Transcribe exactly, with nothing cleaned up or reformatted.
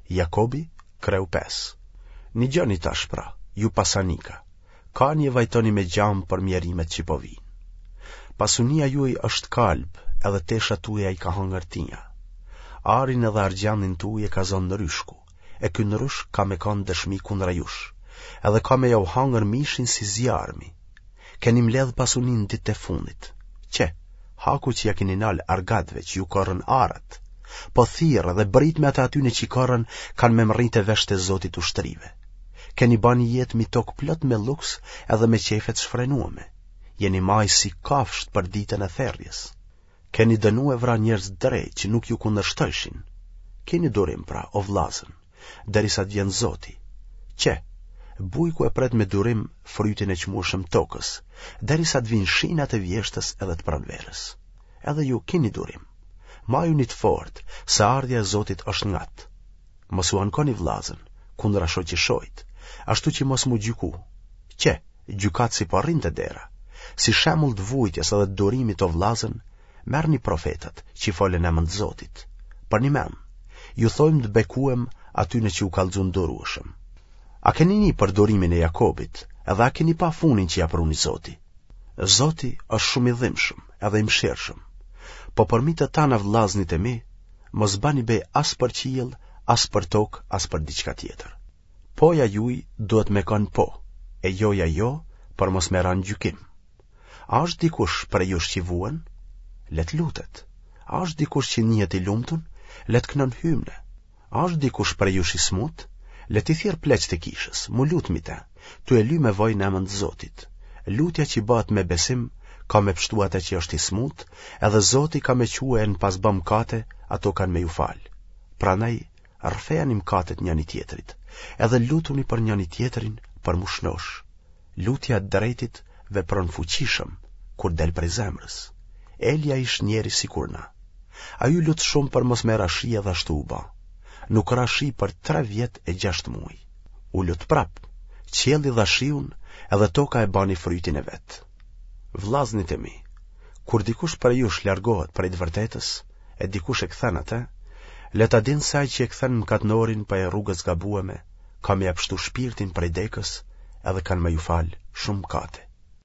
Jakobi, kreu pesë. Nigjoni tash pra, ju pasanika, kani e vajtoni me gjamë për mjerimet që po vijnë. Pasunia juaj është kalb, edhe teshat tuaja i ka hangër tinja. Arin edhe argjendin tuaj e ka zonë nryshku, e ky nryshk ka me kanë dëshmi kundra jush, edhe ka me jau hangër mishin si zjarmi. Keni mbledhë pasuninë në ditët e fundit. Qe, haku që ja keni nalë argatëve që ju korrën arat, po thirrë dhe britmat e atyne që i korrën kanë me mrri te veshët e Zotit të ushtrive. Keni ba një jetë mi tokë plot me luks edhe me qejfe të shfrenueme. Jeni majë si kafshët për ditën e therrjes. Keni dënu e vra njerëz të drejtë që nuk ju kundërshtojshin. Kini durim pra, o vllazën, derisa të vjen Zoti. Qe, bujku e pret me durim frytin e çmueshëm të tokës, derisa të vijnë shinat e vjeshtës edhe të pranverës. Edhe ju kini durim. Majuni të fortë, se ardhja e Zotit është ngat. Mos u ankoni vllazën, kundra shoqëshojt, ashtu që mos m'u gjyku. Qe, gjykatësi po rrin te dera. Si shembull të vujtjes edhe të durimit o vllazën, merrni profetët që folën në emën të Zotit. Përnjëmend, ju thojmë të bekuem atyne që u kallxun durueshëm. A keni ni për durimin e Jakobit, edhe a keni pa funin që ja pruni Zoti? Zoti është shumë i dhimbshëm edhe i mëshirshëm. Po përmi të tana vllaznit e mi, mos bani be as për qiell, as për tokë, as për diçka tjetër. Poja juj duhet me kanë po, e joja jo, për mos me ra në gjykim. A është dikush prej jush që vuen? Le të lutet. A është dikush që nihet i lumtun? Le të kënon hymne. A është dikush prej jush i smut? Le t'i thirrë pleqtë e kishës, m'u lut mi te, tu e ly me vaj në emën të Zotit. Lutja që bëhet me besim ka me pshtu atë që është i smut, edhe Zoti ka me çue e në pas ba mkate, ato kanë me ju falë. Prandaj, rrëfejani mkatet njëni tjetrit, edhe lutuni për njëni tjetrin për m'u shnosh. Lutja e të drejtit vepron fuqishëm, kur del prej zemrës. Elia ish njeri sikur na. Ai u lut shumë për mos me ra shi edhe ashtu u ba. Nuk ra shi për tre vjet e gjashtë muaj. U lut prap, qielli dha shiun edhe toka e bani frytin e vet. Vllaznit e mi, kur dikush prej jush largohet prej të vërtetës, e dikush e kthen atë, le ta din se ai që e kthen mkatnorin prej rrugës gabueme, ka me ja pshtu shpirtin prej dekës edhe kanë me ju falë shumë mkate.